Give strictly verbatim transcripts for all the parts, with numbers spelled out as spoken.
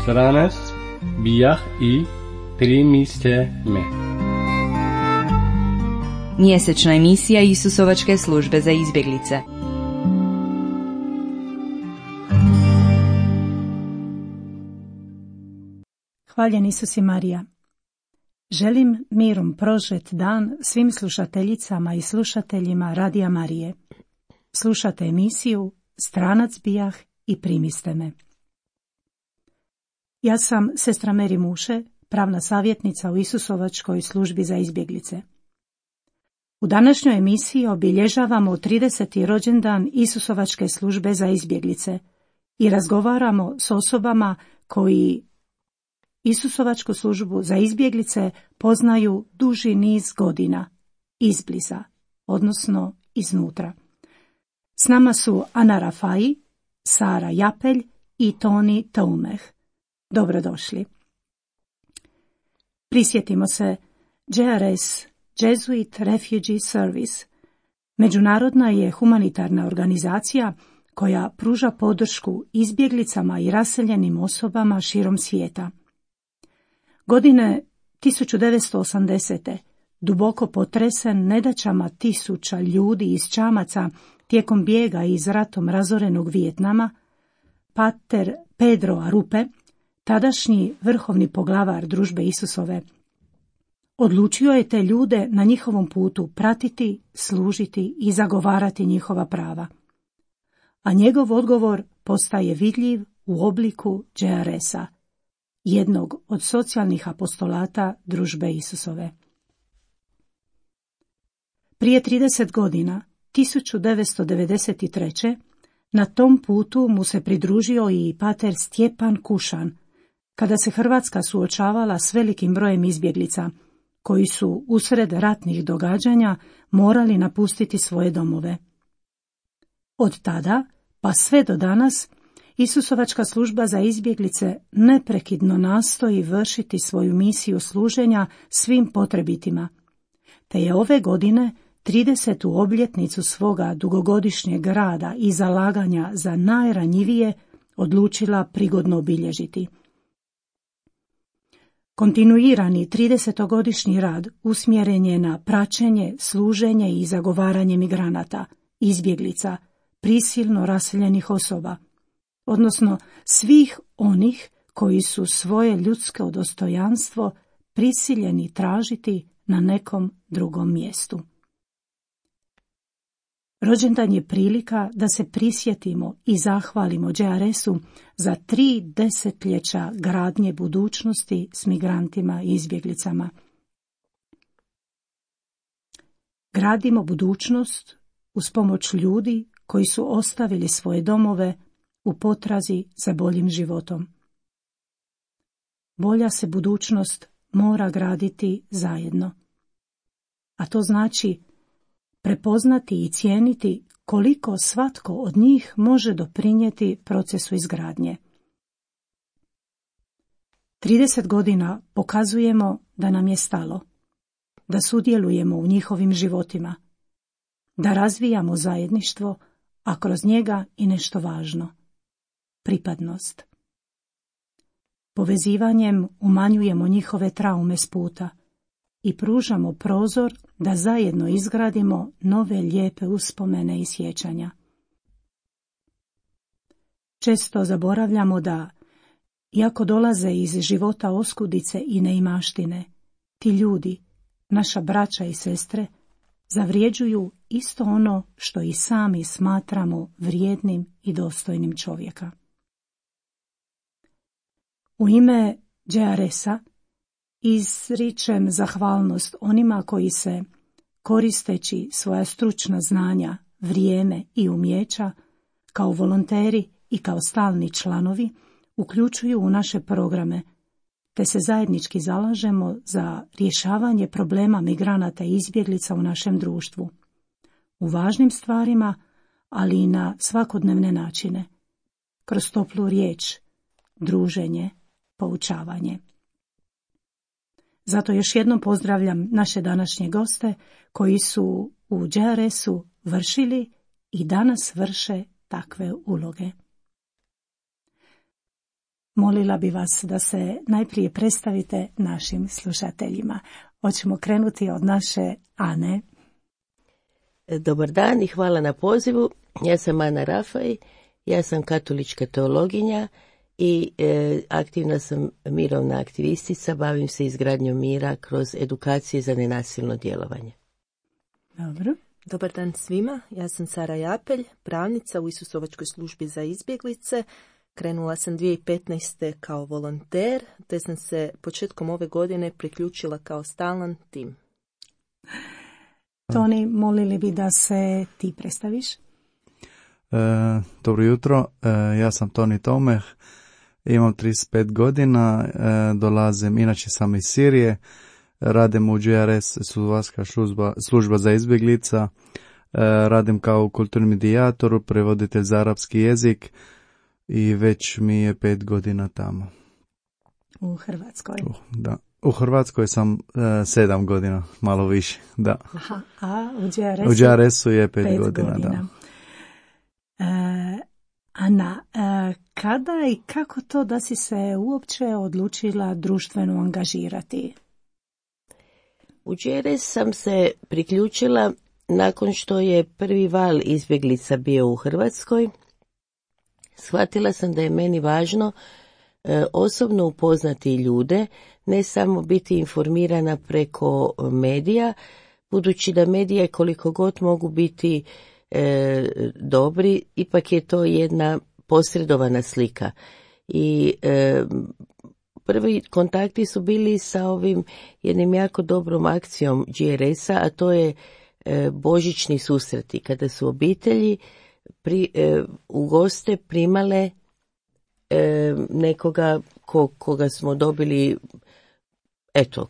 Stranac bijah i primiste me. Mjesečna emisija Isusovačke službe za izbjeglice. Hvaljen Isus i Marija. Želim mirom prožet dan svim slušateljicama i slušateljima Radija Marije. Slušate emisiju Stranac bijah i primiste me. Ja sam sestra Meri Muše, pravna savjetnica u Isusovačkoj službi za izbjeglice. U današnjoj emisiji obilježavamo trideseti rođendan Isusovačke službe za izbjeglice i razgovaramo s osobama koji Isusovačku službu za izbjeglice poznaju duži niz godina, izbliza, odnosno iznutra. S nama su Ana Rafai, Sara Japelj i Toni Taumeh. Dobrodošli. Prisjetimo se J R S, Jesuit Refugee Service. Međunarodna je humanitarna organizacija koja pruža podršku izbjeglicama i raseljenim osobama širom svijeta. Godine tisuću devetsto osamdesete. duboko potresen nedaćama tisuća ljudi iz čamaca tijekom bijega iz ratom razorenog Vijetnama, pater Pedro Arupe, tadašnji vrhovni poglavar družbe Isusove, odlučio je te ljude na njihovom putu pratiti, služiti i zagovarati njihova prava. A njegov odgovor postaje vidljiv u obliku J R S-a, jednog od socijalnih apostolata družbe Isusove. Prije trideset godina, tisuću devetsto devedeset treće. na tom putu mu se pridružio i pater Stjepan Kušan, kada se Hrvatska suočavala s velikim brojem izbjeglica, koji su usred ratnih događanja morali napustiti svoje domove. Od tada, pa sve do danas, Isusovačka služba za izbjeglice neprekidno nastoji vršiti svoju misiju služenja svim potrebitima, te je ove godine tridesetu obljetnicu svoga dugogodišnjeg rada i zalaganja za najranjivije odlučila prigodno obilježiti. Kontinuirani tridesetogodišnji rad usmjeren je na praćenje, služenje i zagovaranje migranata, izbjeglica, prisilno raseljenih osoba, odnosno svih onih koji su svoje ljudsko dostojanstvo prisiljeni tražiti na nekom drugom mjestu. Rođendan je prilika da se prisjetimo i zahvalimo J R S-u za tri desetljeća gradnje budućnosti s migrantima i izbjeglicama. Gradimo budućnost uz pomoć ljudi koji su ostavili svoje domove u potrazi za boljim životom. Bolja se budućnost mora graditi zajedno. A to znači prepoznati i cijeniti koliko svatko od njih može doprinijeti procesu izgradnje. trideset godina pokazujemo da nam je stalo, da sudjelujemo u njihovim životima, da razvijamo zajedništvo, a kroz njega i nešto važno – pripadnost. Povezivanjem umanjujemo njihove traume s puta i pružamo prozor da zajedno izgradimo nove lijepe uspomene i sjećanja. Često zaboravljamo da, iako dolaze iz života oskudice i neimaštine, ti ljudi, naša braća i sestre, zavrjeđuju isto ono što i sami smatramo vrijednim i dostojnim čovjeka. U ime J R S-a izričem zahvalnost onima koji se, koristeći svoja stručna znanja, vrijeme i umijeća, kao volonteri i kao stalni članovi, uključuju u naše programe, te se zajednički zalažemo za rješavanje problema migranata i izbjeglica u našem društvu, u važnim stvarima, ali i na svakodnevne načine, kroz toplu riječ, druženje, poučavanje. Zato još jednom pozdravljam naše današnje goste koji su u J R S-u vršili i danas vrše takve uloge. Molila bi vas da se najprije predstavite našim slušateljima. Hoćemo krenuti od naše Ane. Dobar dan i hvala na pozivu. Ja sam Ana Rafaj, ja sam katolička teologinja i e, aktivna sam mirovna aktivistica, bavim se izgradnjom mira kroz edukacije za nenasilno djelovanje. Dobro. Dobar dan svima, ja sam Sara Japelj, pravnica u Isusovačkoj službi za izbjeglice. Krenula sam dvije tisuće petnaeste. kao volonter, te sam se početkom ove godine priključila kao stalan tim. Toni, molili bi da se ti predstaviš? E, dobro jutro, e, ja sam Toni Tomeh, imam trideset pet godina, e, dolazim, inače sam iz Sirije, radim u J R S, Isusovačka služba, služba za izbjeglica, e, radim kao kulturni medijator, prevoditelj za arapski jezik i već mi je pet godina tamo. U Hrvatskoj? Uh, da. U Hrvatskoj sam uh, sedam godina, malo više, da. Aha, a u J R S-u? U J R S-u je pet, pet godina, godina. da. E, Ana, e, kada i kako to da si se uopće odlučila društveno angažirati? U J R S sam se priključila nakon što je prvi val izbjeglica bio u Hrvatskoj. Shvatila sam da je meni važno e, osobno upoznati ljude, ne samo biti informirana preko medija, budući da medije koliko god mogu biti e, dobri, ipak je to jedna posredovana slika. I e, prvi kontakti su bili sa ovim jednim jako dobrom akcijom J R S-a, a to je e, božićni susreti, kada su obitelji pri, e, u goste primale e, nekoga ko, koga smo dobili, eto,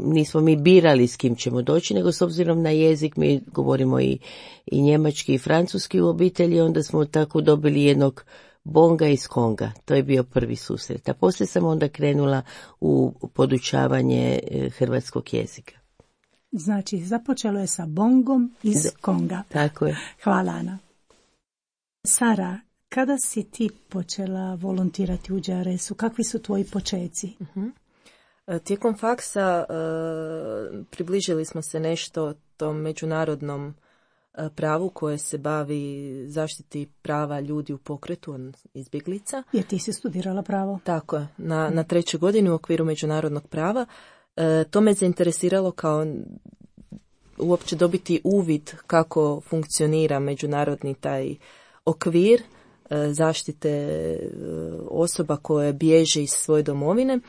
nismo mi birali s kim ćemo doći, nego s obzirom na jezik mi govorimo i, i njemački i francuski u obitelji, onda smo tako dobili jednog Bonga iz Konga. To je bio prvi susret. A poslije sam onda krenula u podučavanje hrvatskog jezika. Znači, započelo je sa Bongom iz da, Konga. Tako je. Hvala, Ana. Sara, kada si ti počela volontirati u J R S-u? Kakvi su tvoji počeci? Uh-huh. Tijekom faksa uh, približili smo se nešto tom međunarodnom uh, pravu koje se bavi zaštiti prava ljudi u pokretu, izbjeglica. Jer ti si studirala pravo? Tako je, na, na trećoj godini u okviru međunarodnog prava. Uh, to me zainteresiralo kao uopće dobiti uvid kako funkcionira međunarodni taj okvir uh, zaštite uh, osoba koje bježe iz svoje domovine.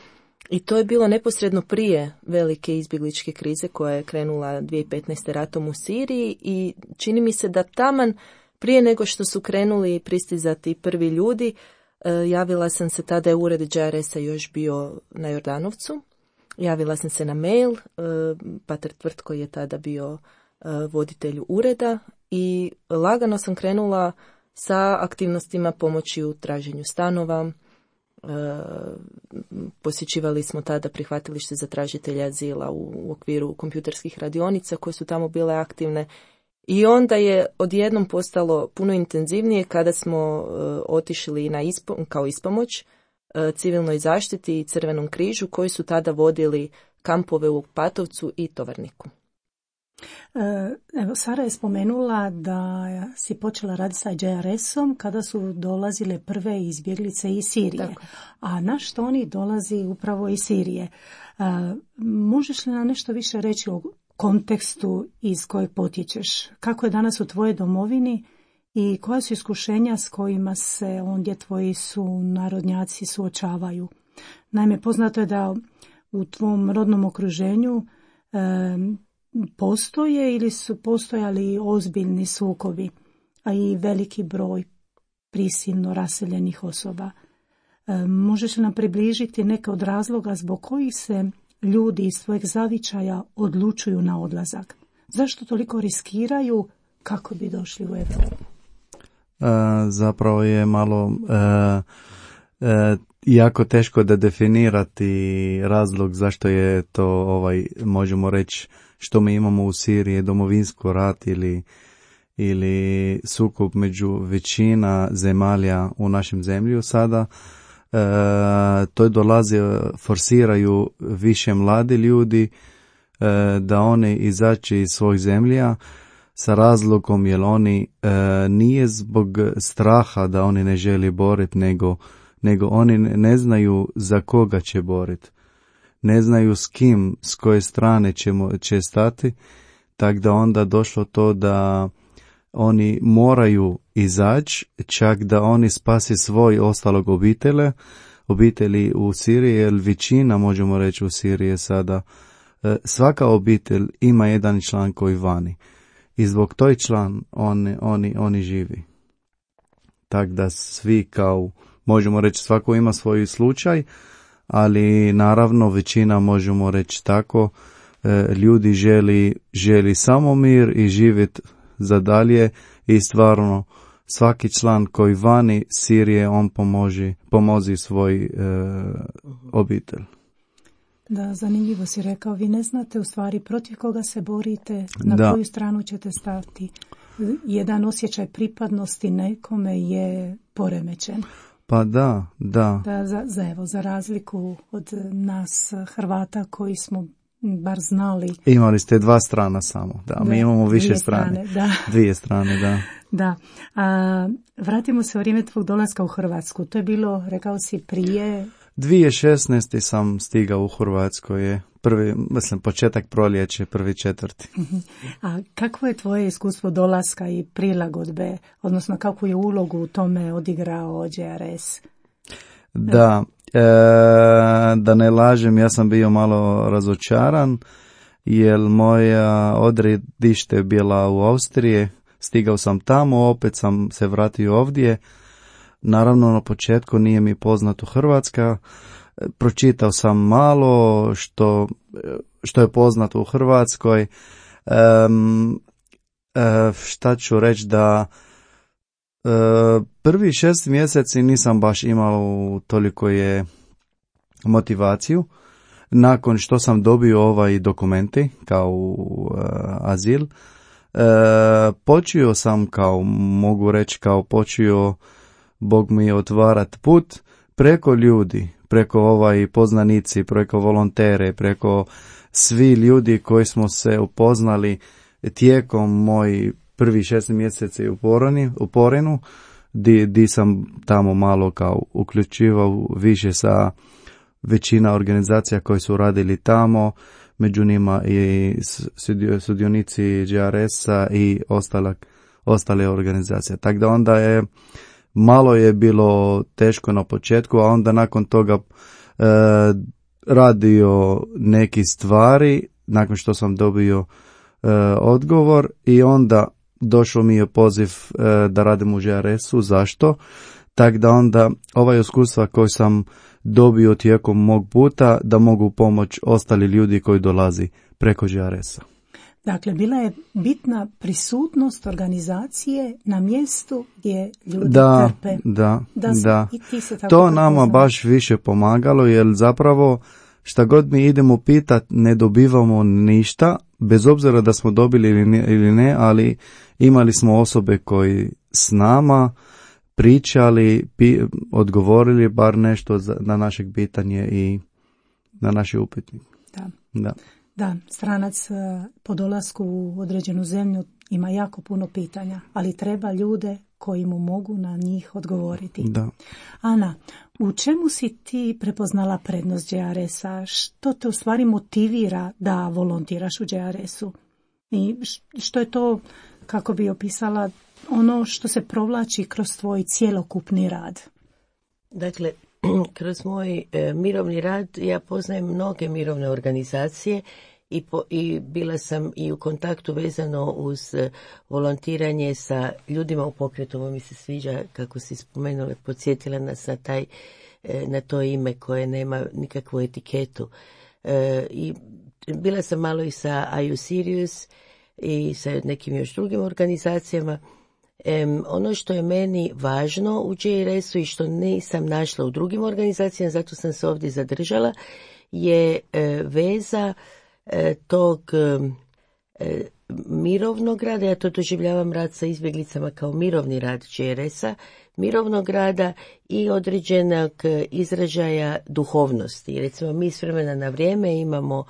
I to je bilo neposredno prije velike izbjegličke krize koja je krenula dvije tisuće petnaeste. ratom u Siriji i čini mi se da taman prije nego što su krenuli pristizati prvi ljudi, javila sam se, tada je ured J R S-a još bio na Jordanovcu, javila sam se na mail, pater Tvrtko je tada bio voditelj ureda i lagano sam krenula sa aktivnostima pomoći u traženju stanova. Uh, posjećivali smo tada prihvatilište za tražitelje azila u, u okviru kompjuterskih radionica koje su tamo bile aktivne i onda je odjednom postalo puno intenzivnije kada smo uh, otišli na ispo, kao ispomoć uh, civilnoj zaštiti i Crvenom križu koji su tada vodili kampove u Patovcu i Tovarniku. Evo, Sara je spomenula da si počela raditi sa J R S-om kada su dolazile prve izbjeglice iz Sirije. Tako. A naš Toni dolazi upravo iz Sirije. Možeš li nam nešto više reći o kontekstu iz kojeg potječeš? Kako je danas u tvojoj domovini i koja su iskušenja s kojima se ondje tvoji su narodnjaci suočavaju? Naime, poznato je da u tvom rodnom okruženju postoje ili su postojali ozbiljni sukobi, a i veliki broj prisilno raseljenih osoba. E, možeš li nam približiti neke od razloga zbog kojih se ljudi iz svojeg zavičaja odlučuju na odlazak? Zašto toliko riskiraju kako bi došli u Europu? E, zapravo je malo e, e, jako teško da definirati razlog zašto je to, ovaj, možemo reći, što mi imamo u Siriji, domovinsko rat ili, ili sukob među većina zemalja u našem zemlju sada. E, to dolazi, forsiraju više mladi ljudi e, da oni izaći iz svojih zemlja sa razlogom jer oni e, nije zbog straha da oni ne želi boriti, nego, nego oni ne znaju za koga će boriti. Ne znaju s kim, s koje strane ćemo, će stati, tako da onda došlo to da oni moraju izaći, čak da oni spasi svoj ostalog obitelje, obitelji u Siriji, jer većina, možemo reći, u Siriji sada, svaka obitelj ima jedan član koji vani. I zbog toj član oni, oni, oni živi. Tako da svi kao, možemo reći, svako ima svoj slučaj, ali naravno većina, možemo reći tako, ljudi želi, želi samo mir i živjeti za dalje i stvarno svaki član koji vani Sirije, on pomoži, pomozi svoj e, obitelj. Da, zanimljivo si rekao, vi ne znate u stvari protiv koga se borite, na da. koju stranu ćete stati. Jedan osjećaj pripadnosti nekome je poremećen. Pa da, da. Da, za, za, evo, za razliku od nas Hrvata koji smo bar znali. Imali ste dva strana samo, da, mi da, imamo više strane. strane da. Dvije strane, da. Da. A, vratimo se u vrijeme tvog dolaska u Hrvatsku. To je bilo, rekao si, prije... dvije tisuće šesnaeste. sam stigao u Hrvatskoj, je prvi, mislim, početak proljeće, prvi četvrti. A kakvo je tvoje iskustvo dolaska i prilagodbe, odnosno kakvu je ulogu u tome odigrao J R S? Da, e, da ne lažem, ja sam bio malo razočaran, jer moja odredište je bila u Austriji, stigao sam tamo, opet sam se vratio ovdje. Naravno, na početku nije mi poznato Hrvatska, pročitao sam malo što, što je poznato u Hrvatskoj. Um, uh, šta ću reći da uh, prvi šest mjeseci nisam baš imao toliko je motivaciju. Nakon što sam dobio ovaj dokumenti kao uh, azil, uh, počeo sam, kao mogu reći, kao počeo Bog mi je otvarat put preko ljudi, preko ovaj poznanici, preko volontere, preko svi ljudi koji smo se upoznali tijekom moj prvi šest mjeseci u Poreni, u Porenu, di, di sam tamo malo kao uključivao više sa većina organizacija koji su radili tamo, među njima i sudionici J R S-a i ostale, ostale organizacije. Tako da onda je malo je bilo teško na početku, a onda nakon toga e, radio neki stvari, nakon što sam dobio e, odgovor, i onda došao mi je poziv e, da radim u J R S-u. Zašto? Tako da onda ova iskustva koju sam dobio tijekom mog puta, da mogu pomoći ostali ljudi koji dolazi preko J R S-a. Dakle, bila je bitna prisutnost organizacije na mjestu gdje ljudi da, trpe. Da, da, da. I ti se tako to nama poznali. baš više pomagalo, jer zapravo šta god mi idemo pitat, ne dobivamo ništa, bez obzira da smo dobili ili ne, ili ne, ali imali smo osobe koji s nama pričali, pi, odgovorili bar nešto za, na našeg pitanje i na naše upitnik. Da. Da. Da, stranac po dolasku u određenu zemlju ima jako puno pitanja, ali treba ljude koji mu mogu na njih odgovoriti. Da. Ana, u čemu si ti prepoznala prednost J R S-a? Što te u stvari motivira da volontiraš u J R S-u? I što je to, kako bi opisala, ono što se provlači kroz tvoj cjelokupni rad? Dakle, kroz moj e, mirovni rad ja poznajem mnoge mirovne organizacije i, po, i bila sam i u kontaktu vezano uz e, volontiranje sa ljudima u pokretu. Ovo mi se sviđa, kako si spomenula, podsjetila nas na, taj, e, na to ime koje nema nikakvu etiketu. E, I bila sam malo i sa Are You Serious i sa nekim još drugim organizacijama. Um, ono što je meni važno u J R S-u i što nisam našla u drugim organizacijama, zato sam se ovdje zadržala, je e, veza e, tog e, mirovnog rada. Ja to doživljavam rad sa izbjeglicama kao mirovni rad J R S-a, mirovnog rada i određenog izražaja duhovnosti. Recimo, mi s vremena na vrijeme imamo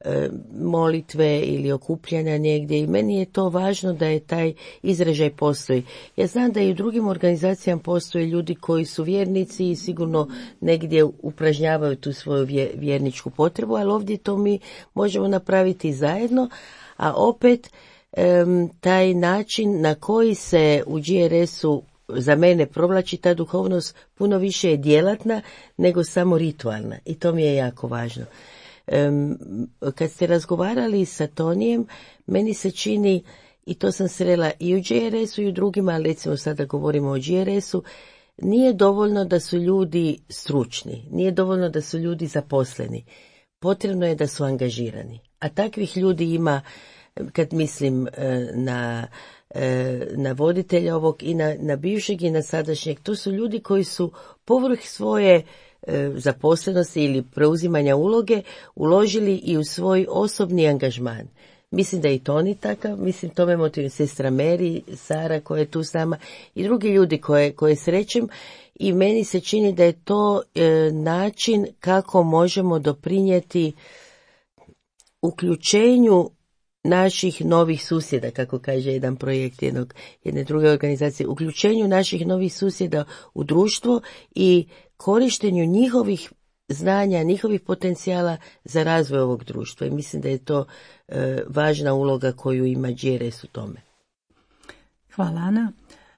e, molitve ili okupljanja negdje i meni je to važno da je taj izražaj postoji. Ja znam da i u drugim organizacijama postoje ljudi koji su vjernici i sigurno negdje upražnjavaju tu svoju vjerničku potrebu, ali ovdje to mi možemo napraviti zajedno, a opet e, taj način na koji se u J R S-u za mene provlači ta duhovnost puno više je djelatna nego samo ritualna i to mi je jako važno. Um, kad ste razgovarali sa Tonijem, meni se čini, i to sam srela i u J R S-u i u drugima, ali recimo sada govorimo o J R S-u, nije dovoljno da su ljudi stručni, nije dovoljno da su ljudi zaposleni, potrebno je da su angažirani. A takvih ljudi ima, kad mislim na na voditelja ovog i na, na bivšeg i na sadašnjeg, to su ljudi koji su povrh svoje e, zaposlenosti ili preuzimanja uloge uložili i u svoj osobni angažman. Mislim da je i Toni takav, mislim tome motivuje sestra Mary, Sara koja je tu s nama i drugi ljudi koje, koje srećem i meni se čini da je to e, način kako možemo doprinijeti uključenju naših novih susjeda, kako kaže jedan projekt jednog, jedne druge organizacije, uključenju naših novih susjeda u društvo i korištenju njihovih znanja, njihovih potencijala za razvoj ovog društva. I mislim da je to e, važna uloga koju ima J R S u tome. Hvala, Ana.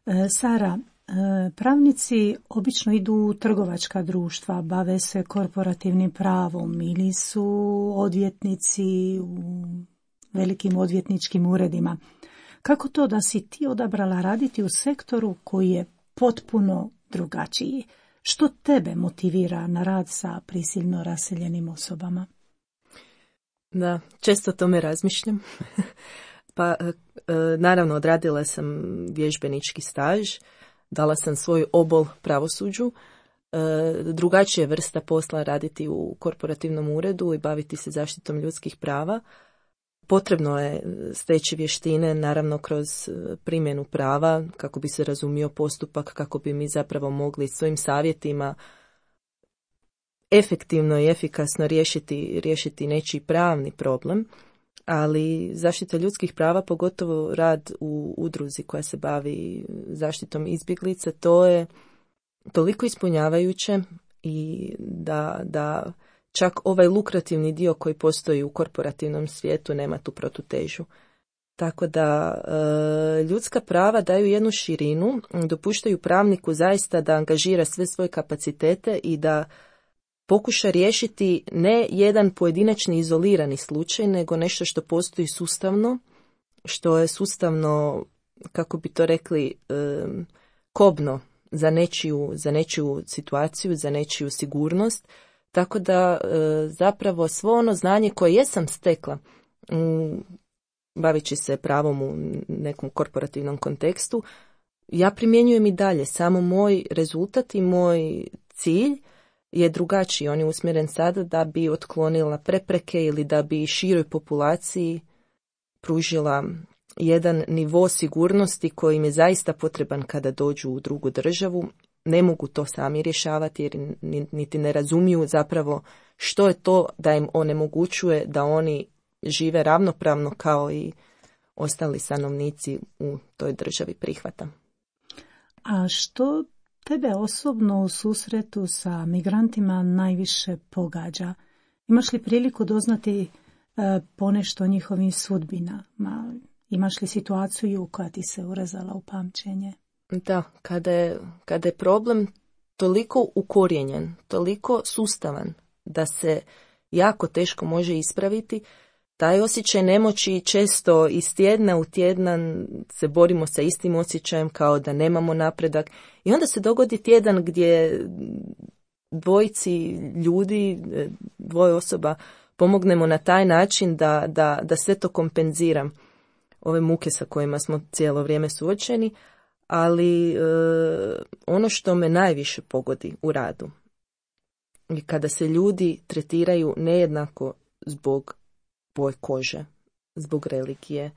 E, Sara, e, pravnici obično idu u trgovačka društva, bave se korporativnim pravom ili su odvjetnici u velikim odvjetničkim uredima. Kako to da si ti odabrala raditi u sektoru koji je potpuno drugačiji? Što tebe motivira na rad sa prisilno raseljenim osobama? Da, često o tome razmišljam. Pa naravno odradila sam vježbenički staž, dala sam svoj obol pravosuđu, drugačija vrsta posla raditi u korporativnom uredu i baviti se zaštitom ljudskih prava. Potrebno je steći vještine, naravno kroz primjenu prava, kako bi se razumio postupak, kako bi mi zapravo mogli svojim savjetima efektivno i efikasno riješiti, riješiti nečiji pravni problem, ali zaštita ljudskih prava, pogotovo rad u udruzi koja se bavi zaštitom izbjeglica, to je toliko ispunjavajuće i da... da čak ovaj lukrativni dio koji postoji u korporativnom svijetu nema tu protutežu. Tako da e, ljudska prava daju jednu širinu, dopuštaju pravniku zaista da angažira sve svoje kapacitete i da pokuša riješiti ne jedan pojedinačni izolirani slučaj, nego nešto što postoji sustavno, što je sustavno, kako bi to rekli, e, kobno za nečiju, za nečiju situaciju, za nečiju sigurnost. Tako da e, zapravo svo ono znanje koje jesam stekla m, bavići se pravom u nekom korporativnom kontekstu, ja primjenjujem i dalje. Samo moj rezultat i moj cilj je drugačiji. On je usmjeren sada da bi otklonila prepreke ili da bi široj populaciji pružila jedan nivo sigurnosti koji im je zaista potreban kada dođu u drugu državu. Ne mogu to sami rješavati jer niti ne razumiju zapravo što je to da im onemogućuje da oni žive ravnopravno kao i ostali stanovnici u toj državi prihvata. A što tebe osobno u susretu sa migrantima najviše pogađa? Imaš li priliku doznati e, ponešto o njihovim sudbinama? Imaš li situaciju koja ti se urezala u pamćenje? Da, kada je, kada je problem toliko ukorijenjen, toliko sustavan da se jako teško može ispraviti, taj osjećaj nemoći često iz tjedna u tjedan se borimo sa istim osjećajem kao da nemamo napredak i onda se dogodi tjedan gdje dvojici ljudi, dvoje osoba pomognemo na taj način da, da, da sve to kompenzira ove muke sa kojima smo cijelo vrijeme suočeni, ali e, ono što me najviše pogodi u radu je kada se ljudi tretiraju nejednako zbog boje kože, zbog religije,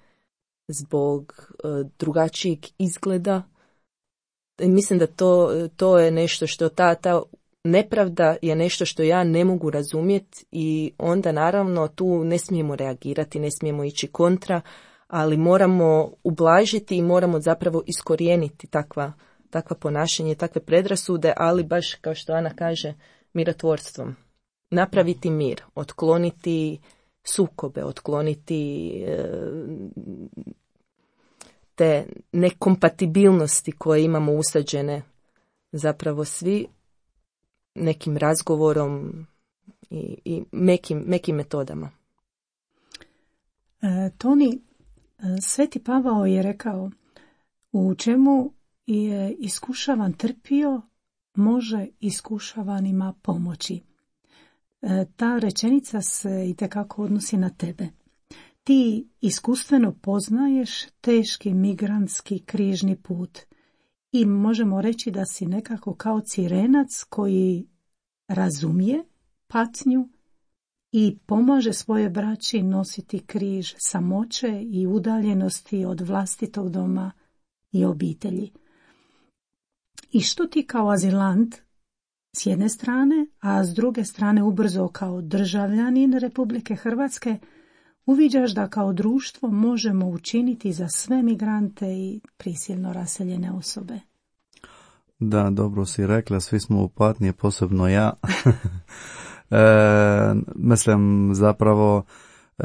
zbog e, drugačijeg izgleda. I mislim da to, to je nešto što ta, ta nepravda je nešto što ja ne mogu razumjeti i onda naravno tu ne smijemo reagirati, ne smijemo ići kontra, ali moramo ublažiti i moramo zapravo iskorijeniti takva, takva ponašanje, takve predrasude, ali baš kao što Ana kaže, mirotvorstvom. Napraviti mir, otkloniti sukobe, otkloniti e, te nekompatibilnosti koje imamo usađene zapravo svi nekim razgovorom i, i mekim, mekim metodama. E, Toni, Sveti Pavao je rekao, u čemu je iskušavan trpio, može iskušavanima pomoći. E, ta rečenica se itekako odnosi na tebe. Ti iskustveno poznaješ teški migrantski križni put i možemo reći da si nekako kao Cirenac koji razumije patnju i pomaže svoje braći nositi križ samoće i udaljenosti od vlastitog doma i obitelji. I što ti kao azilant s jedne strane, a s druge strane ubrzo kao državljanin Republike Hrvatske, uviđaš da kao društvo možemo učiniti za sve migrante i prisilno raseljene osobe? Da, dobro si rekla, svi smo u patnji, posebno ja. e, mislim, zapravo e,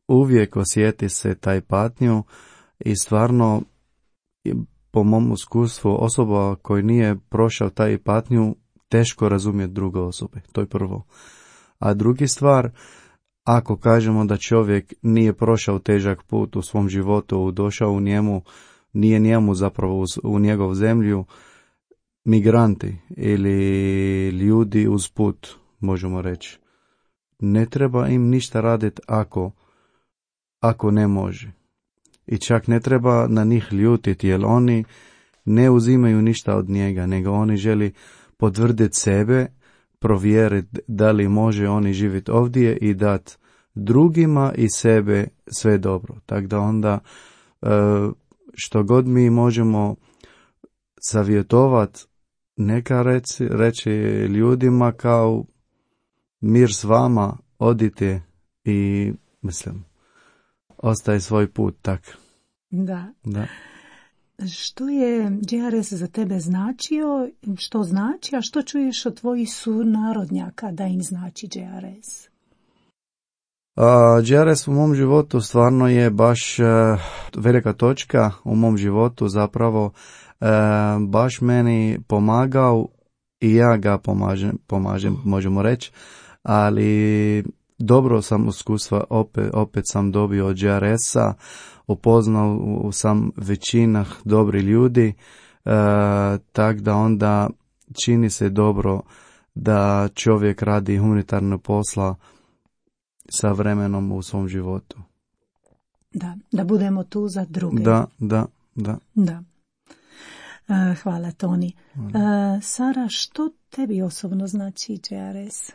uvijek osjeti se taj patnju i stvarno, po mom iskustvu, osoba koji nije prošao taj patnju teško razumije druge osobe, to je prvo. A drugi stvar, ako kažemo da čovjek nije prošao težak put u svom životu, došao u njemu, nije njemu zapravo u njegov zemlju, migranti ili ljudi uz put, možemo reći, ne treba im ništa raditi ako, ako ne može. I čak ne treba na njih ljutiti, jer oni ne uzimaju ništa od njega, nego oni želi potvrditi sebe, provjeriti da li može oni živjeti ovdje i dati drugima i sebe sve dobro. Tako da onda što god mi možemo savjetovati, neka reći, reći ljudima kao mir s vama, odite i mislim, ostaje svoj put tak. Da. Da. Što je Đ R S za tebe značio, što znači, a što čuješ od tvojih sunarodnjaka da im znači Đ R S? Uh, Đ R S u mom životu stvarno je baš uh, velika točka u mom životu, zapravo uh, baš meni pomagao i ja ga pomažem, pomažem možemo reći, ali dobro sam iskustva, opet, opet sam dobio od Đ R S-a, upoznao sam većinah dobri ljudi, uh, tak da onda čini se dobro da čovjek radi humanitarne posla sa vremenom u svom životu. Da, da budemo tu za druge. Da, da, da. Da. Uh, hvala, Toni. Uh, Sara, što tebi osobno znači Đ R S?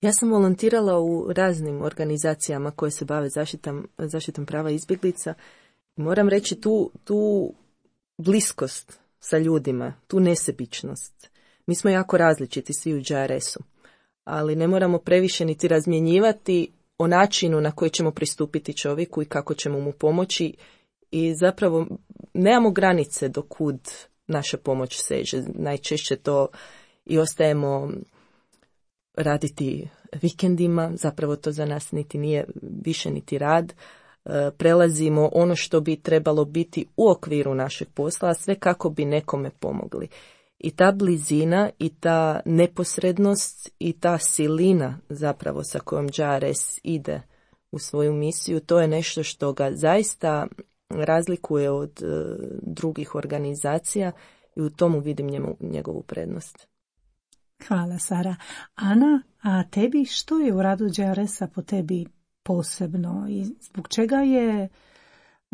Ja sam volontirala u raznim organizacijama koje se bave zaštitom, zaštitom prava izbjeglica. Moram reći tu, tu bliskost sa ljudima, tu nesebičnost. Mi smo jako različiti svi u Đ R S-u, ali ne moramo previše niti razmjenjivati o načinu na koji ćemo pristupiti čovjeku i kako ćemo mu pomoći. I zapravo nemamo granice do kud naša pomoć seže. Najčešće to i ostajemo raditi vikendima, zapravo to za nas niti nije više niti rad. Prelazimo ono što bi trebalo biti u okviru našeg posla, a sve kako bi nekome pomogli. I ta blizina i ta neposrednost i ta silina zapravo sa kojom Đ R S ide u svoju misiju, to je nešto što ga zaista razlikuje od uh, drugih organizacija i u tomu vidim njemu, njegovu prednost. Hvala, Sara. Ana, a tebi što je u radu Đ R S-a po tebi posebno i zbog čega je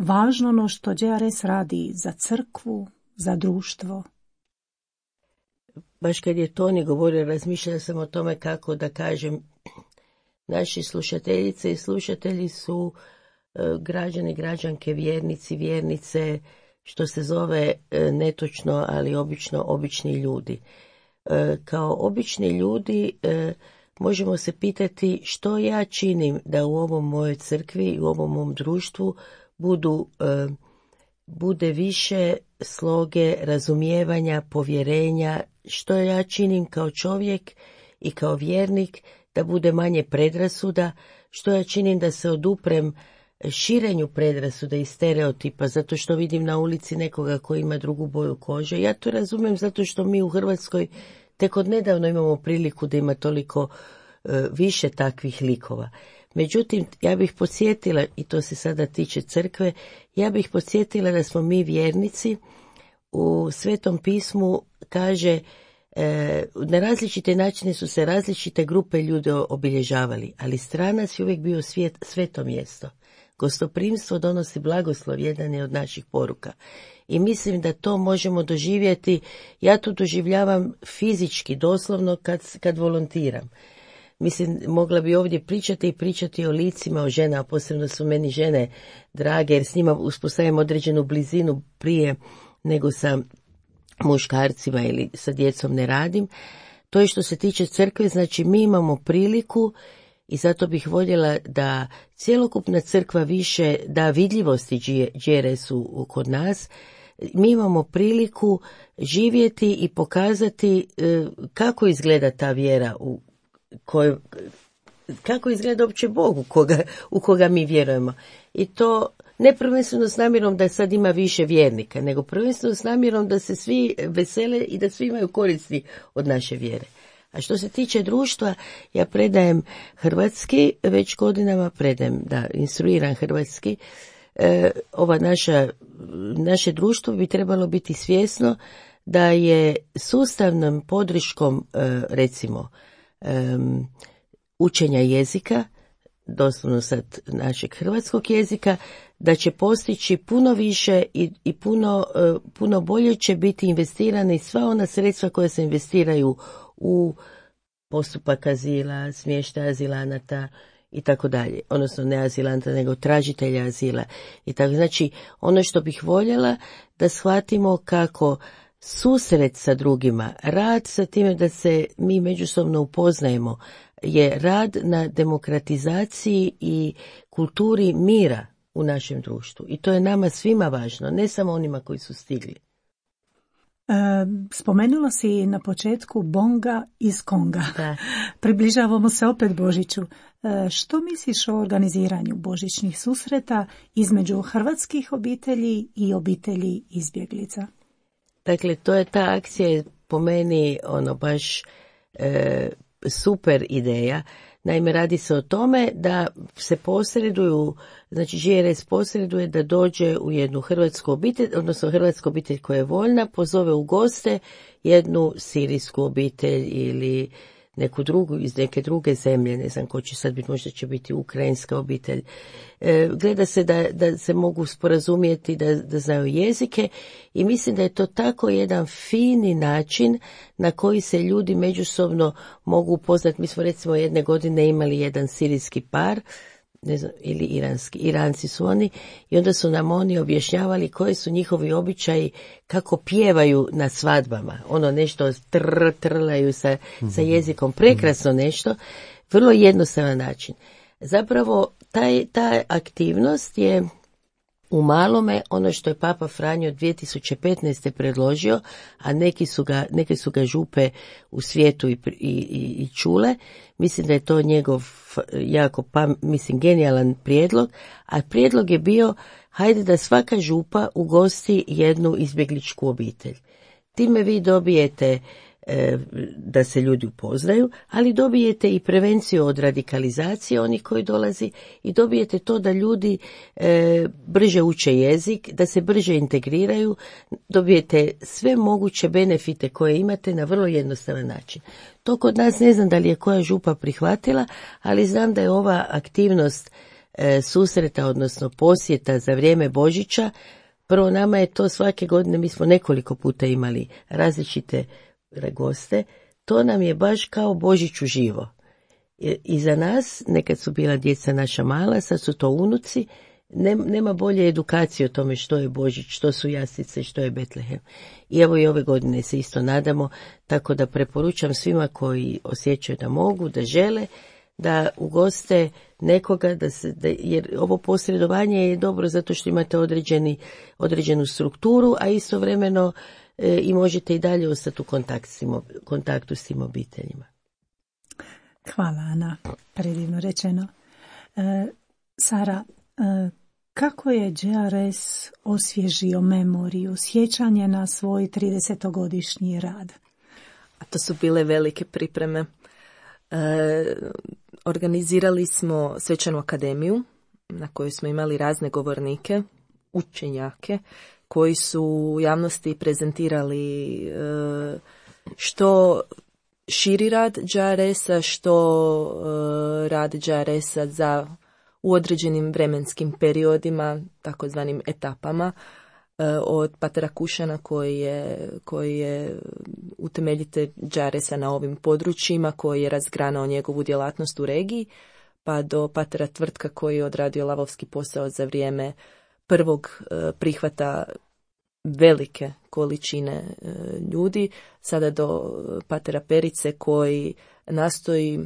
važno ono što J R S radi za crkvu, za društvo? Baš kad je Toni govorio, razmišljala sam o tome kako da kažem, naši slušateljice i slušatelji su e, građani, građanke, vjernici, vjernice, što se zove e, netočno, ali obično obični ljudi. E, kao obični ljudi e, možemo se pitati što ja činim da u ovom mojoj crkvi i u ovom mom društvu budu, e, bude više sloge, razumijevanja, povjerenja, što ja činim kao čovjek i kao vjernik da bude manje predrasuda, što ja činim da se oduprem širenju predrasuda i stereotipa, zato što vidim na ulici nekoga koji ima drugu boju kože. Ja to razumijem zato što mi u Hrvatskoj tek od nedavno imamo priliku da ima toliko e, više takvih likova. Međutim, ja bih podsjetila, i to se sada tiče crkve, ja bih podsjetila da smo mi vjernici, u Svetom pismu kaže e, na različite načine su se različite grupe ljudi obilježavali, ali stranac je uvijek bio svijet, sveto mjesto. Gostoprimstvo donosi blagoslov, jedan je od naših poruka. I mislim da to možemo doživjeti, ja to doživljavam fizički, doslovno kad, kad volontiram. Mislim, mogla bi ovdje pričati i pričati o licima, o ženama, posebno su meni žene drage, jer s njima uspostavim određenu blizinu prije nego sa muškarcima ili sa djecom ne radim. To je što se tiče crkve, znači mi imamo priliku i zato bih voljela da cjelokupna crkva više da vidljivosti J R S-u kod nas. Mi imamo priliku živjeti i pokazati kako izgleda ta vjera u kojoj, kako izgleda uopće Bog u koga, u koga mi vjerujemo. I to ne prvenstveno s namjerom da sad ima više vjernika, nego prvenstveno s namjerom da se svi vesele i da svi imaju koristi od naše vjere. A što se tiče društva, ja predajem hrvatski, već godinama predajem, da, instruiram hrvatski. E, ova naša, naše društvo bi trebalo biti svjesno da je sustavnom podrškom, e, recimo, e, učenja jezika, doslovno sad našeg hrvatskog jezika, da će postići puno više i, i puno, e, puno bolje će biti investirane i sva ona sredstva koja se investiraju u postupak azila, smještaj azilanata i tako dalje, odnosno ne azilanta nego tražitelja azila i tako. Znači, ono što bih voljela da shvatimo kako susret sa drugima, rad sa time da se mi međusobno upoznajemo, je rad na demokratizaciji i kulturi mira u našem društvu. I to je nama svima važno, ne samo onima koji su stigli. E, spomenula si na početku Bonga iz Konga. Da. Približavamo se opet Božiću. E, što misliš o organiziranju božićnih susreta između hrvatskih obitelji i obitelji izbjeglica? Dakle, to je ta akcija je po meni ono baš e, super ideja. Naime, radi se o tome da se posreduju, znači J R S posreduje da dođe u jednu hrvatsku obitelj, odnosno hrvatsku obitelj koja je voljna, pozove u goste jednu sirijsku obitelj ili neku drugu, iz neke druge zemlje, ne znam ko će sad biti, možda će biti ukrajinska obitelj. E, gleda se da, da se mogu sporazumjeti, da, da znaju jezike i mislim da je to tako jedan fini način na koji se ljudi međusobno mogu upoznati. Mi smo recimo jedne godine imali jedan sirijski par, ne znam, ili iranski, Iranci su oni, i onda su nam oni objašnjavali koji su njihovi običaji, kako pjevaju na svadbama, ono nešto tr, trlaju sa, sa jezikom, prekrasno nešto, vrlo jednostavan način. Zapravo, taj, ta aktivnost je u malome ono što je Papa Franjo dvije tisuće petnaeste predložio, a neki su ga, neke su ga župe u svijetu i, i, i čule. Mislim da je to njegov jako, pa, mislim, genijalan prijedlog, a prijedlog je bio, hajde da svaka župa ugosti jednu izbjegličku obitelj. Time vi dobijete e, da se ljudi upoznaju, ali dobijete i prevenciju od radikalizacije onih koji dolazi i dobijete to da ljudi e, brže uče jezik, da se brže integriraju, dobijete sve moguće benefite koje imate na vrlo jednostavan način. To kod nas ne znam da li je koja župa prihvatila, ali znam da je ova aktivnost e, susreta, odnosno posjeta za vrijeme Božića. Prvo, nama je to svake godine, mi smo nekoliko puta imali različite goste, to nam je baš kao Božić uživo. I za nas, nekad su bila djeca naša mala, sad su to unuci, nema bolje edukacije o tome što je Božić, što su jaslice, što je Betlehem. I evo i ove godine se isto nadamo, tako da preporučam svima koji osjećaju da mogu, da žele, da ugoste nekoga, da se, da, jer ovo posredovanje je dobro zato što imate određeni, određenu strukturu, a istovremeno e, i možete i dalje ostati u kontakt s tim, kontaktu s tim obiteljima. Hvala, Ana, predivno rečeno. E, Sara, e, kako je Đ R S osvježio memoriju, sjećanje na svoj tridesetogodišnji rad? A to su bile velike pripreme. E, organizirali smo svečanu akademiju na kojoj smo imali razne govornike, učenjake, koji su u javnosti prezentirali e, što širi rad Đ R S-a, što e, rad Đ R S-a za u određenim vremenskim periodima, takozvanim etapama, e, od patera Kušana koji je, koji je utemeljitelj Đ R S-a na ovim područjima, koji je razgranao njegovu djelatnost u regiji, pa do patera Tvrtka koji je odradio lavovski posao za vrijeme prvog e, prihvata velike količine e, ljudi, sada do patera Perice koji nastoji,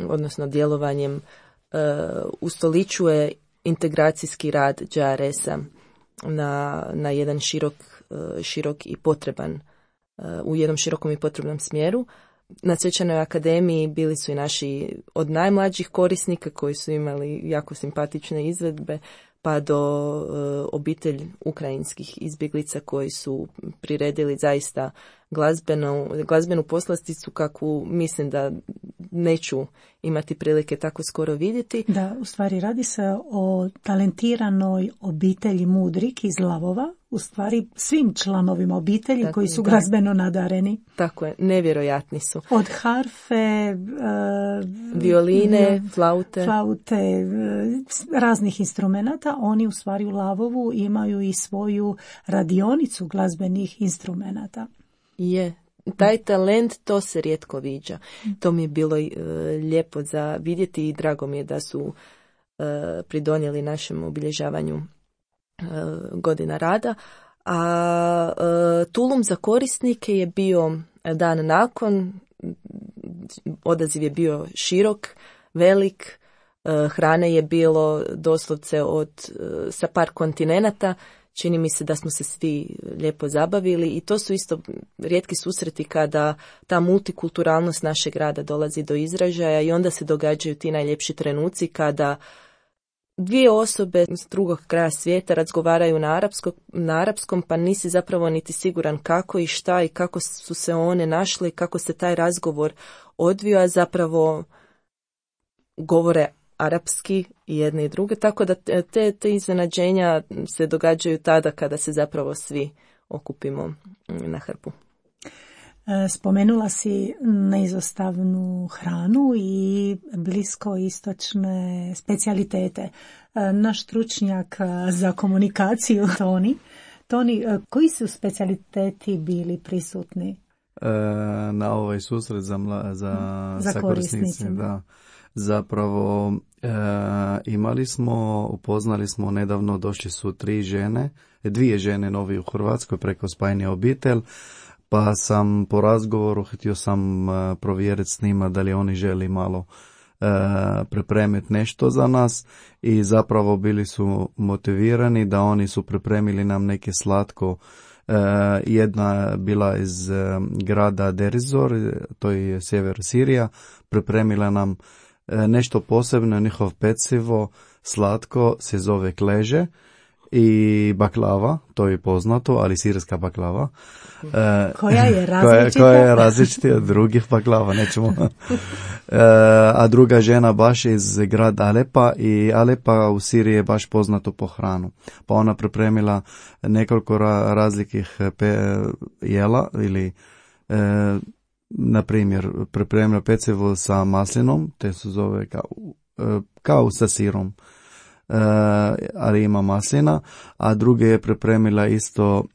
odnosno djelovanjem e, ustoličuje integracijski rad Đ R S-a na, na jedan širok, e, širok i potreban, e, u jednom širokom i potrebnom smjeru. Na svečanoj akademiji bili su i naši od najmlađih korisnika koji su imali jako simpatične izvedbe, pa do e, obitelj ukrajinskih izbjeglica koji su priredili zaista glazbenu, glazbenu poslasticu kakvu mislim da neću imati prilike tako skoro vidjeti. Da, u stvari radi se o talentiranoj obitelji Mudrik iz Lavova, u stvari svim članovima obitelji tako, koji su da. glazbeno nadareni. Tako je, nevjerojatni su. Od harfe, uh, violine, flaute. flaute, uh, raznih instrumenata, oni u stvari u Lavovu imaju i svoju radionicu glazbenih instrumenata. Je, taj talent, to se rijetko viđa. To mi je bilo e, lijepo za vidjeti i drago mi je da su e, pridonijeli našem obilježavanju e, godina rada. A e, Tulum za korisnike je bio dan nakon, odaziv je bio širok, velik, e, hrane je bilo doslovce od, e, sa par kontinenata. Čini mi se da smo se svi lijepo zabavili i to su isto rijetki susreti kada ta multikulturalnost našeg grada dolazi do izražaja i onda se događaju ti najljepši trenuci kada dvije osobe s drugog kraja svijeta razgovaraju na, arapsko, na arapskom, pa nisi zapravo niti siguran kako i šta i kako su se one našle i kako se taj razgovor odvio, a zapravo govore arapski i jedne i druge, tako da te, te iznenađenja se događaju tada kada se zapravo svi okupimo na hrpu. Spomenula si neizostavnu hranu i bliskoistočne specijalitete. Naš stručnjak za komunikaciju, Toni, Toni, koji su specijaliteti bili prisutni? E, na ovaj susret za, mla, za, za sa korisnicima, da. Zapravo e, imali smo, upoznali smo nedavno, došli su tri žene, dvije žene novi u Hrvatskoj preko spajanja obitelj, pa sam po razgovoru htio sam e, provjeriti s njima da li oni želi malo e, pripremiti nešto za nas i zapravo bili su motivirani da oni su pripremili nam neke slatko. E, jedna bila iz e, grada Derizor, to je sjever Sirija, pripremila nam nešto posebno, njihov pecivo, slatko, se zove kleže i baklava, to je poznato, ali sirska baklava. E, koja je različita? Koja, koja je različita od drugih baklava, nećemo. E, a druga žena baš iz grada Alepa i Alepa u Siriji je baš poznato po hranu. Pa ona pripremila nekoliko ra- razlikih pe- jela ili e, na primjer, pripremila pecivo sa maslinom, te se zove kao, kao sa sirom. ali ima maslina, a druge je pripremila isto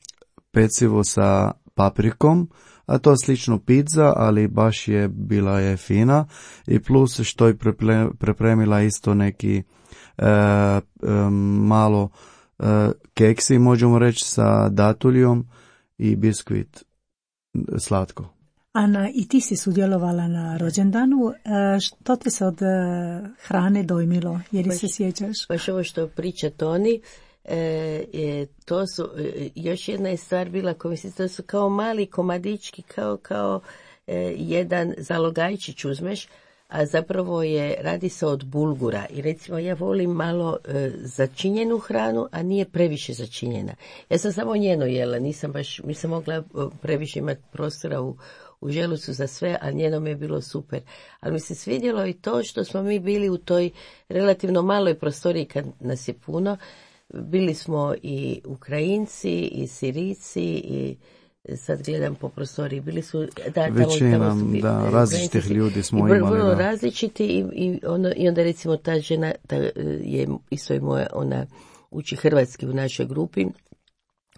pecivo sa paprikom, a to je slično pizza, ali baš je bila je fina, i plus što je pripremila isto neki e, e, malo e, keksi, možemo reći, sa datuljom i biskvit slatko. Ana, i ti si sudjelovala na rođendanu. E, što te se od e, hrane dojmilo? Jer se sjećaš? Baš ovo što priča Toni, e, je, to su, e, još jedna je stvar bila, ko mislim, to su kao mali komadički, kao, kao e, jedan zalogajčić uzmeš, a zapravo je, radi se od bulgura. I recimo ja volim malo e, začinjenu hranu, a nije previše začinjena. Ja sam samo njeno jela, nisam baš, nisam mogla previše imati prostora u u želucu za sve, a njeno mi je bilo super. Ali mi se svidjelo i to što smo mi bili u toj relativno maloj prostoriji kad nas je puno. Bili smo i Ukrajinci, i Sirijci, i sad gledam po prostoriji, bili su, da, većina, tamo, tamo su, da, različitih ljudi smo i imali. Vrlo da. različiti i, i, ono, i onda recimo ta žena, ta, je isto je moja, ona uči hrvatski u našoj grupi.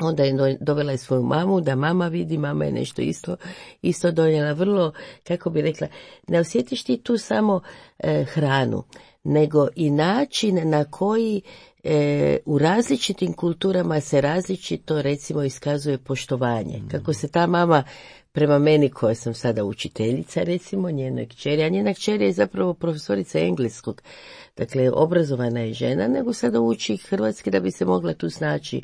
Onda je dovela je svoju mamu, da mama vidi, mama je nešto isto, isto donijela. Vrlo, kako bi rekla, ne osjetiš ti tu samo e, hranu, nego i način na koji e, u različitim kulturama se različito, recimo, iskazuje poštovanje. Kako se ta mama prema meni, koja sam sada učiteljica, recimo, njenoj kćeri, a njena kćer je zapravo profesorica engleskog, dakle, obrazovana je žena, nego sada uči hrvatski da bi se mogla tu snaći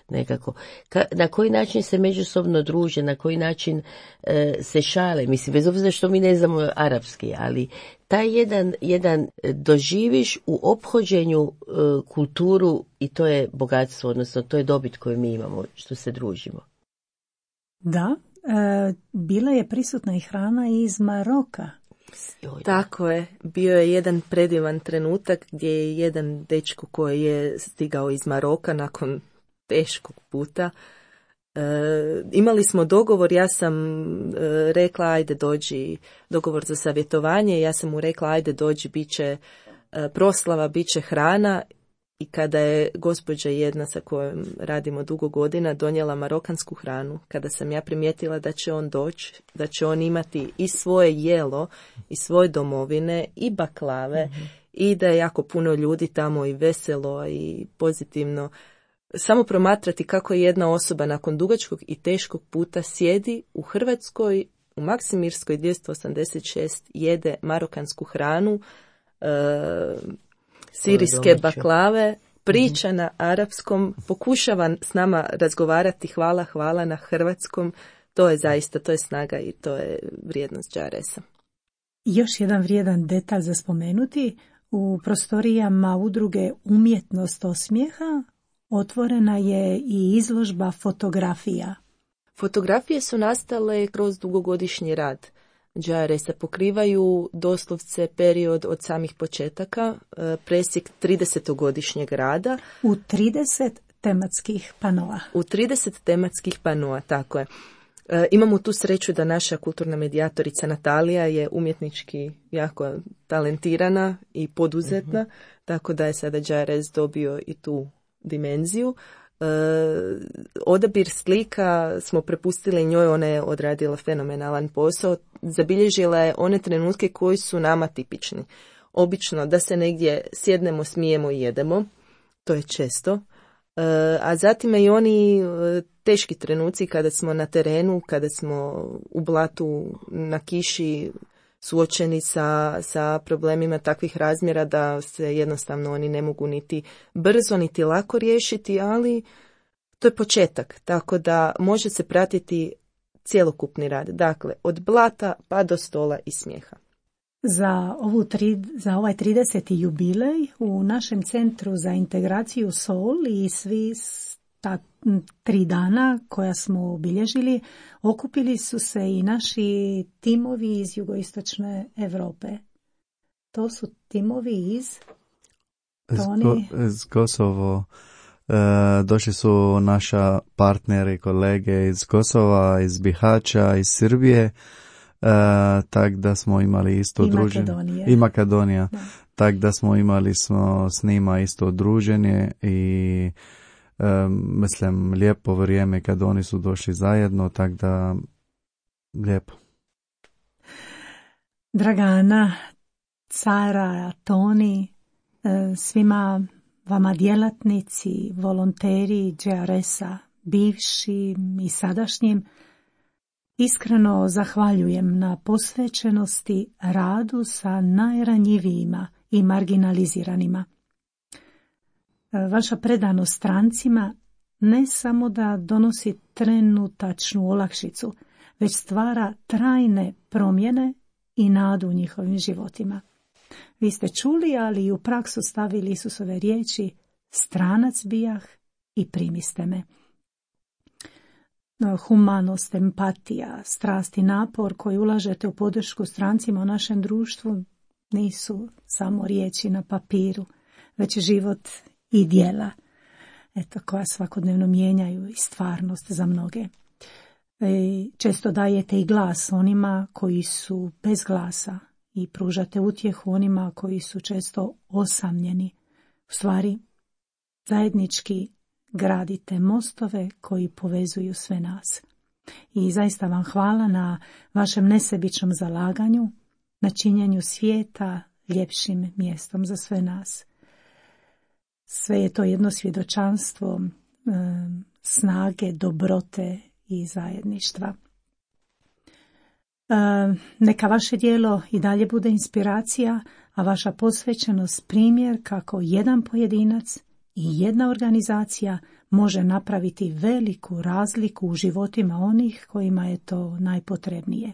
nekako. Ka, na koji način se međusobno druže, na koji način e, se šale, mislim, bez obzira što mi ne znamo arapski, ali taj jedan, jedan doživiš u ophođenju e, kulturu i to je bogatstvo, odnosno to je dobit koju mi imamo, što se družimo. Da, e, bila je prisutna i hrana iz Maroka. Tako je, bio je jedan predivan trenutak gdje je jedan dečko koji je stigao iz Maroka nakon teškog puta. E, imali smo dogovor, ja sam e, rekla ajde dođi, dogovor za savjetovanje, ja sam mu rekla ajde dođi, bit će e, proslava, bit će hrana. I kada je gospođa jedna sa kojom radimo dugo godina donijela marokansku hranu, kada sam ja primijetila da će on doći, da će on imati i svoje jelo, i svoje domovine, i baklave, mm-hmm. i da je jako puno ljudi tamo i veselo i pozitivno. Samo promatrati kako je jedna osoba nakon dugačkog i teškog puta sjedi u Hrvatskoj, u Maksimirskoj dvjesto osamdeset šest, jede marokansku hranu, e, sirijske baklave, priča na arapskom, pokušava s nama razgovarati, hvala, hvala na hrvatskom. To je zaista, to je snaga i to je vrijednost Džaresa. Još jedan vrijedan detalj za spomenuti, u prostorijama udruge Umjetnost osmijeha otvorena je i izložba fotografija. Fotografije su nastale kroz dugogodišnji rad Džaresa, pokrivaju doslovce period od samih početaka, presjek tridesetogodišnjeg rada. U trideset tematskih panoa. U trideset tematskih panoa, tako je. E, imamo tu sreću da naša kulturna medijatorica Natalija je umjetnički jako talentirana i poduzetna, mm-hmm. tako da je sada Džares dobio i tu dimenziju. E, odabir slika smo prepustili njoj, ona je odradila fenomenalan posao, zabilježila je one trenutke koji su nama tipični. Obično da se negdje sjednemo, smijemo i jedemo, to je često, e, a zatim i oni e, teški trenuci kada smo na terenu, kada smo u blatu, na kiši, suočeni sa, sa problemima takvih razmjera da se jednostavno oni ne mogu niti brzo niti lako riješiti, ali to je početak, tako da može se pratiti cjelokupni rad, dakle od blata pa do stola i smijeha. Za, ovu tri, za ovaj trideseti jubilej u našem centru za integraciju Sol i svi ta tri dana koja smo obilježili, okupili su se i naši timovi iz jugoistočne Europe. To su timovi iz Toni... iz Kosovo. E, došli su naša partneri, kolege iz Kosova, iz Bihaća, iz Srbije, e, tak da smo imali isto I druženje. Makedonije. I Makedonija. Da. tak da smo imali smo s njima isto druženje i um, mislim lijepo vrijeme kad oni su došli zajedno, tak da lijepo. Dragana, Cara, Toni, svima vama djelatnici, volonteri J R S-a, bivšim i sadašnjim, iskreno zahvaljujem na posvećenosti radu sa najranjivijima i marginaliziranima. Vaša predanost strancima ne samo da donosi trenutačnu olakšicu, već stvara trajne promjene i nadu u njihovim životima. Vi ste čuli, ali i u praksu stavili Isusove riječi: stranac bijah i primiste me. Humanost, empatija, strast i napor koji ulažete u podršku strancima u našem društvu nisu samo riječi na papiru, već život i djela, eto, koja svakodnevno mijenjaju i stvarnost za mnoge. E, često dajete i glas onima koji su bez glasa i pružate utjehu onima koji su često osamljeni. U stvari, zajednički gradite mostove koji povezuju sve nas. I zaista vam hvala na vašem nesebičnom zalaganju, na činjenju svijeta ljepšim mjestom za sve nas. Sve je to jedno svjedočanstvo e, snage, dobrote i zajedništva. E, neka vaše djelo i dalje bude inspiracija, a vaša posvećenost primjer kako jedan pojedinac i jedna organizacija može napraviti veliku razliku u životima onih kojima je to najpotrebnije.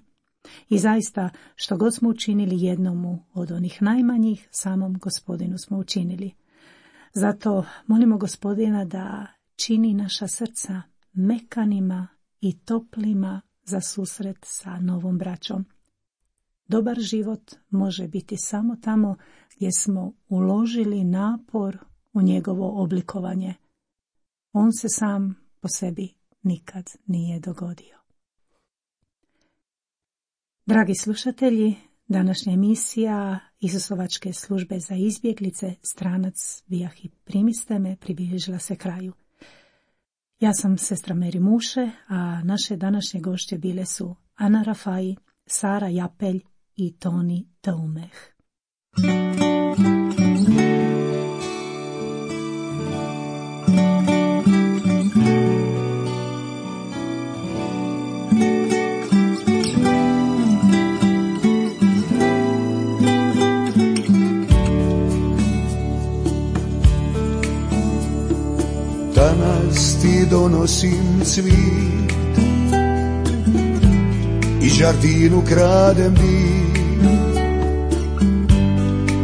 I zaista, što god smo učinili jednomu od onih najmanjih, samom Gospodinu smo učinili. Zato molimo Gospodina da čini naša srca mekanima i toplima za susret sa novom braćom. Dobar život može biti samo tamo gdje smo uložili napor u njegovo oblikovanje. On se sam po sebi nikad nije dogodio. Dragi slušatelji, današnja emisija Isusovačke službe za izbjeglice, stranac bijah i primiste me, približila se kraju. Ja sam sestra Meri Muše, a naše današnje gošće bile su Ana Rafai, Sara Japelj i Toni Taumeh. Danas ti donosim cvit i žardinu kradem dim,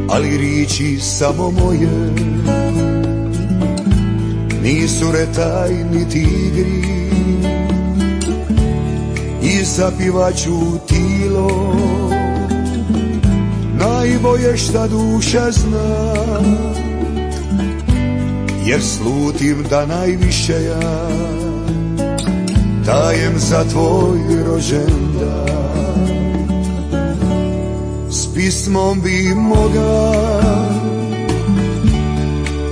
ali riči samo moje nisu retaj niti igri, i zapivaću tilo najbolje šta duša zna, jer slutim da najviše ja dajem za tvoj rođendan. S pismom bi moga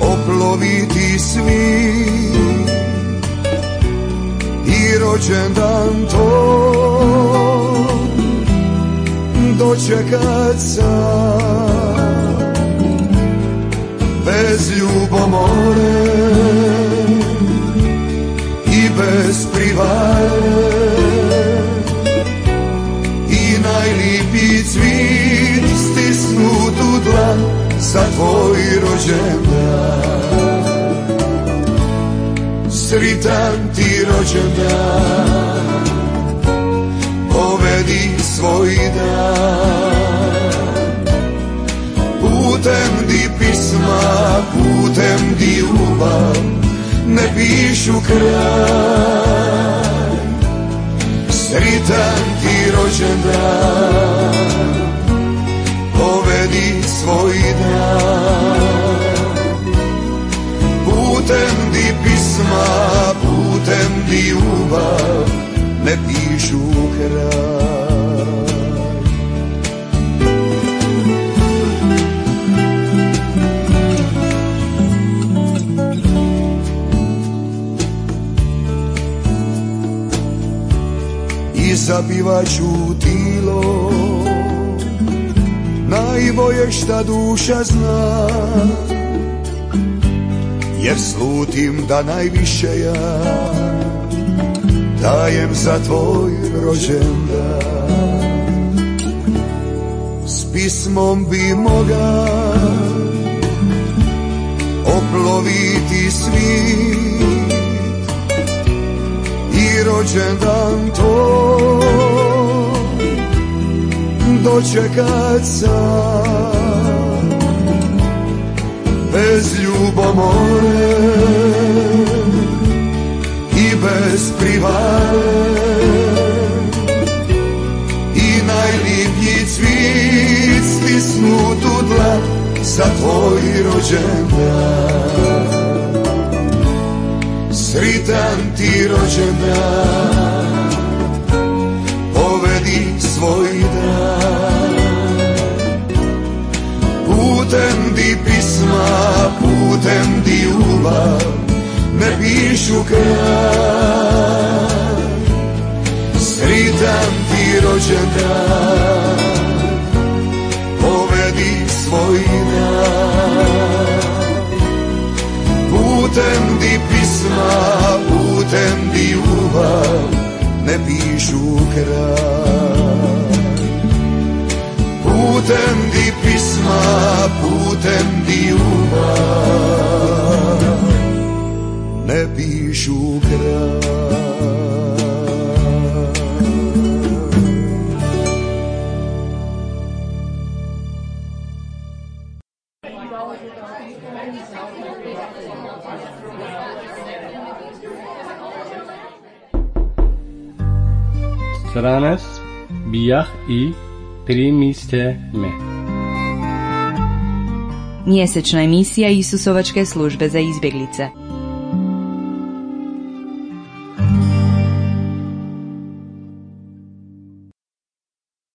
oploviti svi i rođendan to dočekat sam bez ljubomore i bez privare, i najlipi cvit stisnut u dlan za tvoj rođendan. Sritan ti rođendan, povedi svoj dan, putem di pisma, putem di ljubav ne pišu kraj. Sritan ti rođendan, povedi svoj dan, putem di pisma, putem di ljubav ne pišu kraj. i zapivaću tilo, najbolje šta duša zna, jer slutim da najviše ja dajem za tvoj rođendan. S pismom bi moga oploviti svijet i rođendan to dočekat sam bez ljubomore i bez privare, i najlipji cvit stisnut u dlan za tvoj rođendan. Sritan ti rođendan, povedi svoj dan. Putem di pisma, putem di ljubav, ne pišu kraj. Sritan ti rođendan, povedi svoj dan. Putem di pisma, putem di ljubav, ne pišu kraj. Putem di pisma, putem di ljubav, ne pišu kraj. Sranas bijah i primiste me. Mjesečna emisija Isusovačke službe za izbjeglice.